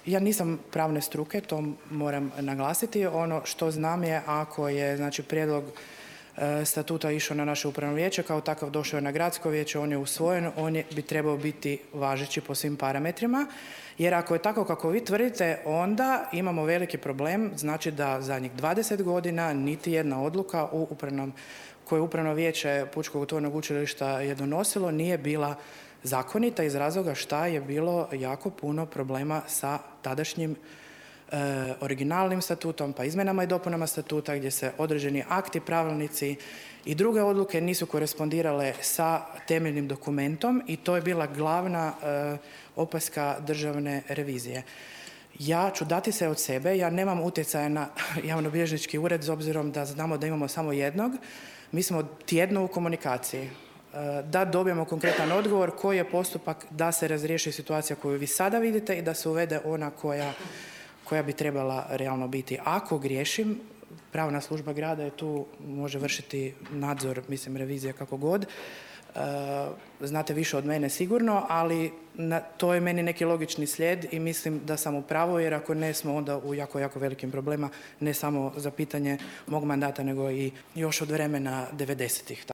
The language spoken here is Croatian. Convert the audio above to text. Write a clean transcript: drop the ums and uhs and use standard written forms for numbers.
Ja nisam pravne struke, to moram naglasiti. Ono što znam je ako je prijedlog statuta išao na naše upravno vijeće, kao takav došao je na gradsko vijeće, on je usvojen, bi trebao biti važeći po svim parametrima, jer ako je tako kako vi tvrdite, onda imamo veliki problem, znači da zadnjih 20 godina niti jedna odluka koju upravno vijeće Pučkog otvorenog učilišta je donosilo nije bila zakonita iz razloga šta je bilo jako puno problema sa tadašnjim originalnim statutom, pa izmjenama i dopunama statuta gdje se određeni akti, pravilnici i druge odluke nisu korespondirale sa temeljnim dokumentom i to je bila glavna opaska državne revizije. Ja ću dati se od sebe, ja nemam utjecaja na javnobilježnički ured s obzirom da znamo da imamo samo jednog. Mi smo tjedno u komunikaciji da dobijemo konkretan odgovor koji je postupak da se razriješi situacija koju vi sada vidite i da se uvede ona koja bi trebala realno biti. Ako griješim, pravna služba grada je tu, može vršiti nadzor, revizija kako god. Znate više od mene sigurno, ali to je meni neki logični slijed i mislim da sam u pravu, jer ako ne smo onda u jako, jako velikim problema, ne samo za pitanje mog mandata, nego i još od vremena 90-ih.